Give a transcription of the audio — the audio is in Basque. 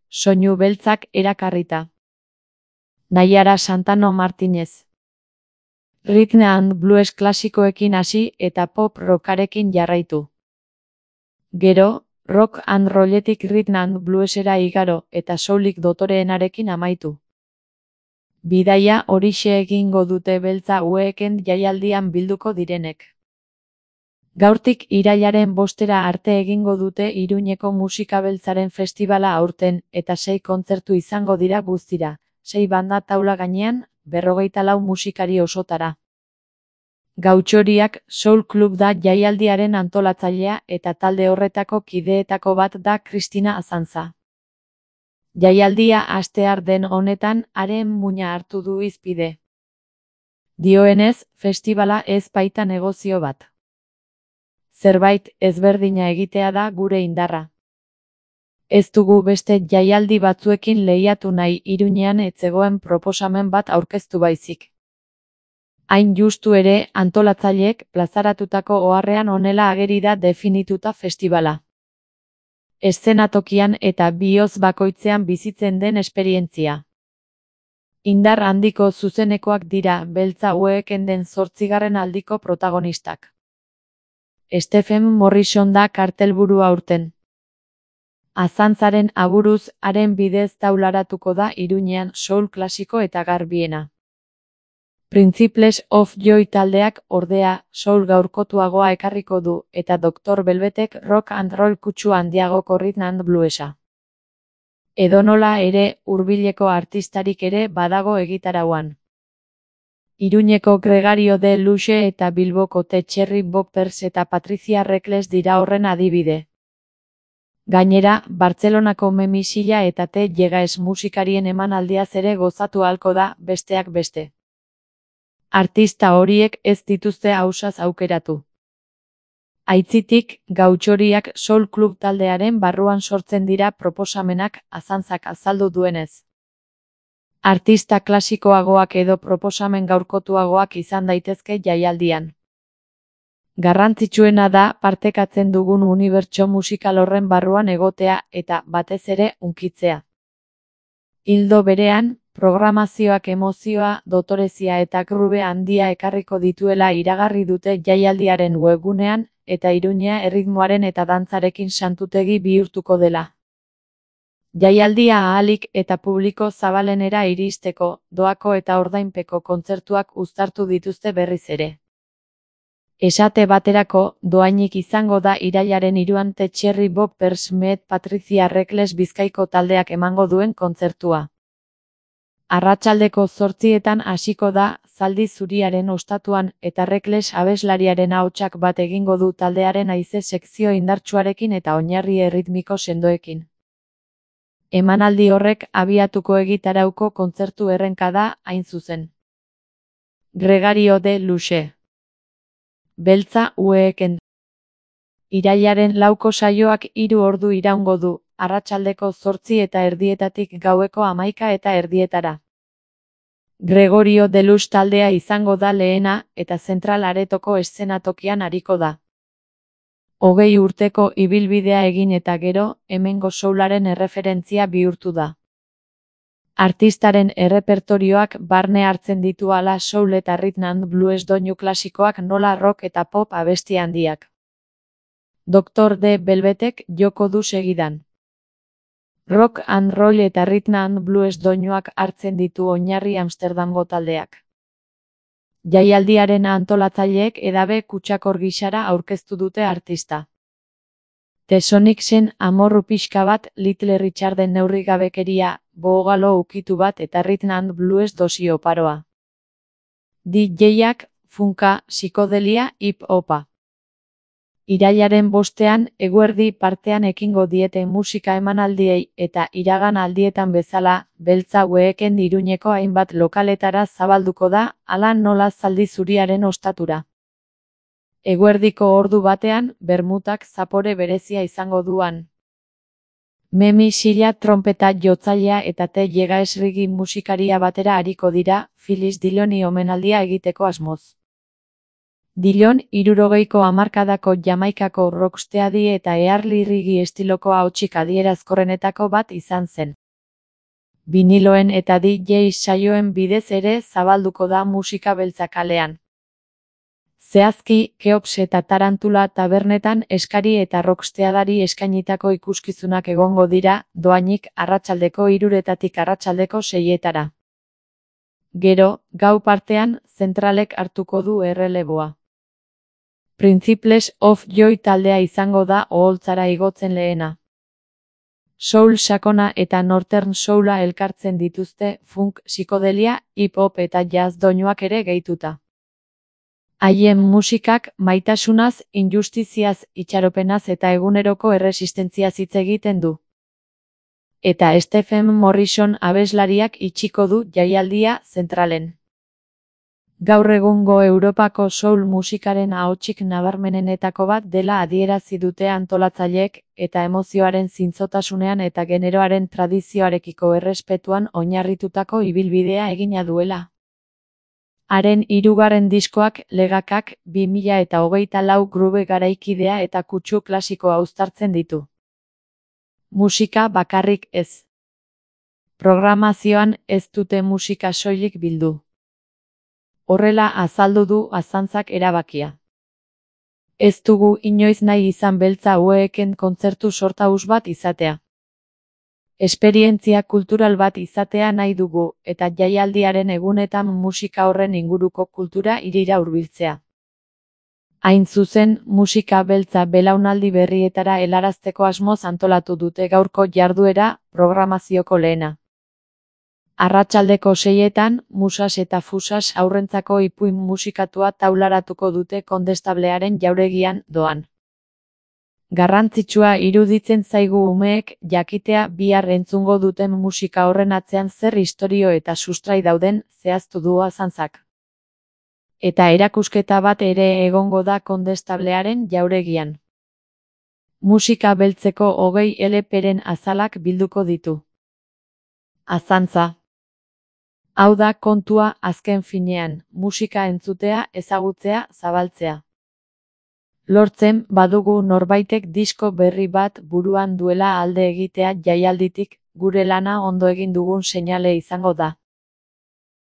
soinu beltzak erakarrita. Naiara Santano Martinez. Rhythm and blues klasikoekin hasi eta pop rockarekin jarraitu. Gero, rock and rolletik rhythm and bluesera igaro eta soulik dotoreenarekin amaitu. Bidaia horixe egingo dute Beltza Weekend jaialdian bilduko direnek. Gaurtik irailaren 5 arte egingo dute Iruñeko Musika Beltzaren festibala aurten eta 6 kontzertu izango dira guztira, 6 banda taula gainean, 44 musikari osotara. Gautxoriak Soul Club da jaialdiaren antolatzailea eta talde horretako kideetako bat da Kristina Azantza. Jaialdia hastear den honetan haren muina hartu du hizpide. Dioenez, festibala ez baita negozio bat. Zerbait ezberdina egitea da gure indarra. Ez dugu beste jaialdi batzuekin lehiatu nahi Iruñean ez zegoen proposamen bat aurkeztu baizik. Hain justu ere, antolatzaileek plazaratutako oharrean honela ageri da definituta festibala. Eszenatokian eta bihotz bakoitzean bizitzen den esperientzia. Indar handiko zuzenekoak dira Beltza Weekenden 8. aldiko protagonistak. Stephen Morrison da kartelburua aurten. Azantzaren aburuz haren bidez taularatuko da Iruñean soul klasiko eta garbiena. Principles of Joy taldeak ordea soul gaurkotuagoa ekarriko du eta Dr. Velvetek rock and roll kutsu handiagoko rhythm and bluesa. Edonola ere hurbileko artistarik ere badago egitarauan. Iruñeko Gregario de Luxe eta Bilboko The Cherry Boppers eta Patricia Reckless dira horren adibide. Gainera, Bartzelonako Memisilla eta Te Llegaes musikarien emanaldiaz ere gozatu ahalko da, besteak beste. Artista horiek ez dituzte ausaz aukeratu. Aitzitik, Gautxoriak Soul Club taldearen barruan sortzen dira proposamenak Azantzak azaldu duenez. Artista klasikoagoak edo proposamen gaurkotuagoak izan daitezke jaialdian. Garrantzitsuena da partekatzen dugun unibertso musikal horren barruan egotea eta batez ere hunkitzea. Ildo berean, programazioak emozioa, dotorezia eta grube handia ekarriko dituela iragarri dute jaialdiaren webgunean eta Iruña erritmoaren eta dantzarekin santutegi bihurtuko dela. Jaialdia ahalik eta publiko zabalenera iristeko, doako eta ordainpeko kontzertuak uztartu dituzte berriz ere. Esate baterako, doainik izango da irailaren 3an The Cherry Boppers met Patricia Reckless Bizkaiko taldeak emango duen kontzertua. Arratsaldeko 8etan hasiko da, Zaldi Zuriaren ostatuan eta Reckless abeslariaren ahotsak bat egingo du taldearen haize sekzio indartsuarekin eta oinarri erritmiko sendoekin. Emanaldi horrek abiatuko egitarauko kontzertu errenka da, hain zuzen. Gregario de Luxe. Beltza Weekend. Irailaren 4ko saioak 3 ordu iraungo du, arratsaldeko 8:30 gaueko 11:30. Gregorio de Luxe taldea izango da lehena eta Zentral Aretoko eszenatokian ariko da. 20 urteko ibilbidea egin eta gero, hemengo soularen erreferentzia bihurtu da. Artistaren errepertorioak barne hartzen ditu hala soul eta rhythm and blues doinu klasikoak nola rock eta pop abesti handiak. Dr. D. Velvetek joko du segidan. Rock and roll eta rhythm and blues doinuak hartzen ditu oinarri Amsterdamgo taldeak. Jaialdiaren antolatzaileek edabe kutsakor gisara aurkeztu dute artista. The Sonicsen amorru pixka bat, Little Richarden neurrigabekeria, bogalo ukitu bat eta rhythm and blues dosi oparoa. DJ-ak, funka, psikodelia, hip-hopa. Irailaren 5ean, eguerdi partean ekingo diete musika emanaldiei eta iragan aldietan bezala, Beltza Weekend Iruñeko hainbat lokaletara zabalduko da, hala nola Zaldi Zuriaren ostatura. Eguerdiko ordu batean, bermutak zapore berezia izango duan. Memisilla trompeta jotzailea eta Te Llegaes reggae musikaria batera ariko dira, Phyllis Dilloni omenaldia egiteko asmoz. Dillon 60ko hamarkadako Jamaikako rocksteady eta early reggae estiloko ahotsik adierazkorrenetako bat izan zen. Biniloen eta DJ saioen bidez ere zabalduko da musika beltza kalean. Zehazki, Keops eta Tarantula tabernetan eskari eta rocksteadari eskainitako ikuskizunak egongo dira, dohainik arratsaldeko 3 arratsaldeko 6. Gero, gau partean, zentralek hartuko du erreleboa. Principles of Joy taldea izango da oholtzara igotzen lehena. Soul sakona eta northern soula elkartzen dituzte, funk, psikodelia, hip-hop eta jazz doinuak ere gehituta. Haien musikak maitasunaz, injustiziaz, itxaropenaz eta eguneroko erresistentziaz hitz egiten du. Eta Stephen Morrison abeslariak itxiko du jaialdia zentralen. Gaur egungo Europako soul musikaren ahotsik nabarmenenetako bat dela adierazi dute antolatzaileek, eta emozioaren zintzotasunean eta generoaren tradizioarekiko errespetuan oinarritutako ibilbidea egina duela. Haren 3. diskoak, Legakak, 2024 groove garaikidea eta kutsu klasikoa uztartzen ditu. Musika bakarrik ez. Programazioan ez dute musika soilik bildu. Horrela azaldu du Azantzak erabakia. Ez dugu inoiz nahi izan beltza haueken kontzertu sortaus bat izatea. Esperientzia kultural bat izatea nahi dugu, eta jaialdiaren egunetan musika horren inguruko kultura hirira hurbiltzea. Hain zuzen, musika beltza belaunaldi berrietara helarazteko asmoz antolatu dute gaurko jarduera, programazioko lehena. Arratsaldeko 6etan, Musas eta Fusas haurrentzako ipuin musikatua taularatuko dute Kondestablearen jauregian, doan. Garrantzitsua iruditzen zaigu umeek jakitea bihar entzungo duten musika horren atzean zer istorio eta sustrai dauden, zehaztu du Azantzak. Eta erakusketa bat ere egongo da Kondestablearen jauregian. Musika beltzeko 20 LP-ren azalak bilduko ditu. Azantza. Hau da kontua azken finean, musika entzutea, ezagutzea, zabaltzea. Lortzen badugu norbaitek disko berri bat buruan duela alde egitea jaialditik, gure lana ondo egin dugun seinale izango da.